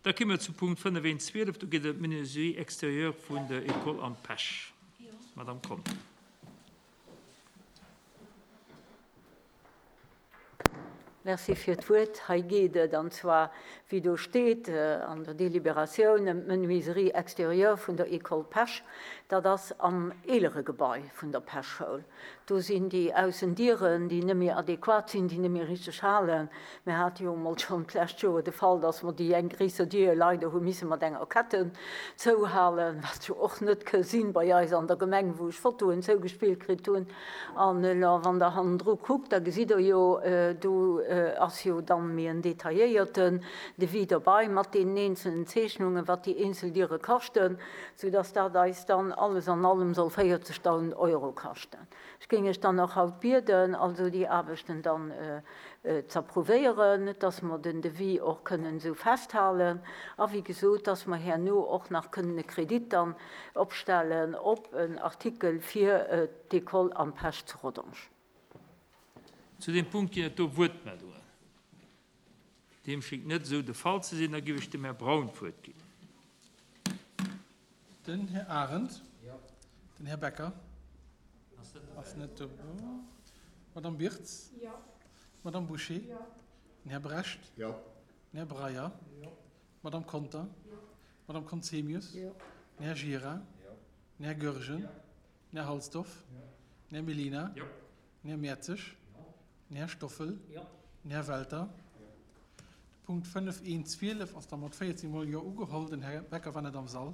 Da komme mer zum Punkt 5.1.12, do geet et ëm d'Menuiserie extérieure vun der École Am Pech. Madame Conter. Merci fir d'Wuert. Hei geet et, an zwar, wéi do steet an der Deliberatioun, ëm d'Menuiserie extérieure vun der École Pech. Dat ass am eelere Gebai vun der Pech-Schoul. Do sinn déi Aussendieren, déi net méi adequat sinn, déi net méi richteg halen. Mir hate jo emol schonn d'lescht Joer de Fall, dass mer déi eng gréisser Dier leider hu misse mat enger Ketten zouhalen, wat jo och net ke sinn bei eis an der Gemeng, wou ech Fotoen zougespillt kritt hunn. An elo, wann Der hannendru kuckt, da gesitt Der jo, do ass jo dann méi en detailléierten Devis derbei mat deenen eenzelnen Zeechnungen, wat déi eenzel Diere kaschten, soudass dat eis dann alles an allem soll 40.000 Euro kaschten. Ech géing Iech dann och haut bieden, also déi Aarbechten dann z'approuvéieren, dass mer den Devis och kënnen esou festhalen a wéi gesot, dass mer herno och nach kënnen e Kredit dann opstellen op en Artikel fir d'École Am Pech zu Rodange. Zu deem Punkt ginn et do Wuertmeldungen. Deem schéngt net esou de Fall ze sinn. Da giff ech dem Här Braun d'Wuert ginn. Den Här Arendt. Den Här Becker ass net do. D'Madame Birtz. D'Madame Bouché. Den Här Brecht. Den Här Breyer. D'Madame Conter. D'Madame Conzemius. Den Här Gira. Den Här Goergen. Den Här Halsdorf. Den Här Mellina. Den Här Mertzig. Den Här Stoffel. Den Här Welter. De Punkt 5, 1, 12 ass da mat 14 mol Jo ugeholl. Den Här Becker war net am Sall.